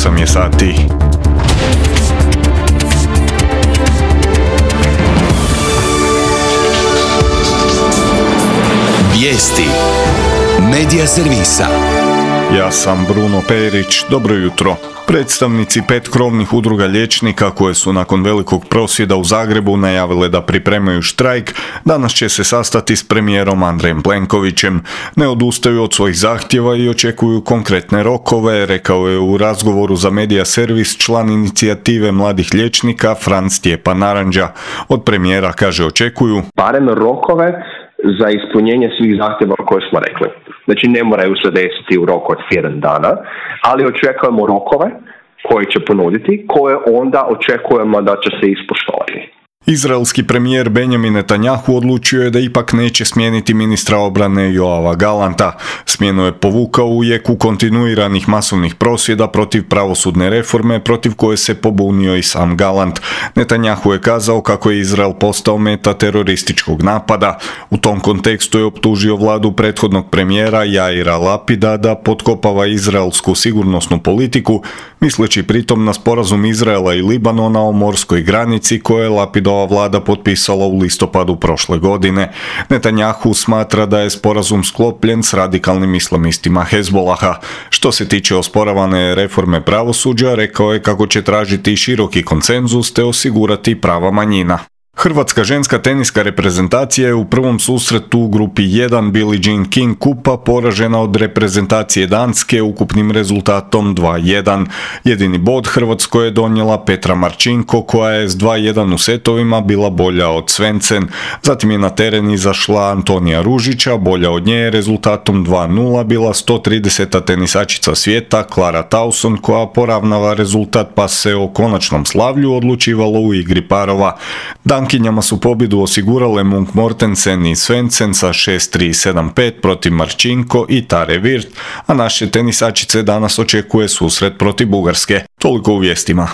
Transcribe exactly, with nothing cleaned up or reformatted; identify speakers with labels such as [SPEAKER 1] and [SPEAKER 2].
[SPEAKER 1] osam je sati.
[SPEAKER 2] Vijesti Medija servisa.
[SPEAKER 1] Ja sam Bruno Perić, dobro jutro. Predstavnici pet krovnih udruga liječnika koje su nakon velikog prosvjeda u Zagrebu najavile da pripremaju štrajk, danas će se sastati s premijerom Andrejem Plenkovićem. Ne odustaju od svojih zahtjeva i očekuju konkretne rokove, rekao je u razgovoru za Medija servis član inicijative mladih liječnika Franz Stjepan Naranđa. Od premijera, kaže, očekuju
[SPEAKER 3] barem rokove za ispunjenje svih zahtjeva koje smo rekli. Znači ne moraju se desiti u roku od tjedan dana, ali očekujemo rokove koje će ponuditi, koje onda očekujemo da će se ispoštovati.
[SPEAKER 1] Izraelski premijer Benjamin Netanjahu odlučio je da ipak neće smijeniti ministra obrane Joava Galanta. Smjenu je povukao u jeku kontinuiranih masovnih prosvjeda protiv pravosudne reforme, protiv koje se pobunio i sam Galant. Netanjahu je kazao kako je Izrael postao meta terorističkog napada. U tom kontekstu je optužio vladu prethodnog premijera Jaira Lapida da potkopava izraelsku sigurnosnu politiku, misleći pritom na sporazum Izraela i Libanona o morskoj granici koje je Lapidova vlada potpisala u listopadu prošle godine. Netanjahu smatra da je sporazum sklopljen s radikalnim islamistima Hezbolaha. Što se tiče osporavane reforme pravosuđa, rekao je kako će tražiti široki konsenzus te osigurati prava manjina. Hrvatska ženska teniska reprezentacija je u prvom susretu u grupi jedan Billie Jean King kupa poražena od reprezentacije Danske ukupnim rezultatom dva jedan. Jedini bod Hrvatskoj je donijela Petra Marčinko koja je s dva jedan u setovima bila bolja od Svensson. Zatim je na teren izašla Antonija Ružića, bolja od nje rezultatom dva nula bila sto trideseta tenisačica svijeta Clara Tauson koja poravnava rezultat pa se o konačnom slavlju odlučivalo u igri parova. Dankinjama su pobjedu osigurale Munk Mortensen i Svensson sa šest tri sedam pet protiv Marčinko i Tare Virt, a naše tenisačice danas očekuje susret protiv Bugarske. Toliko u vijestima.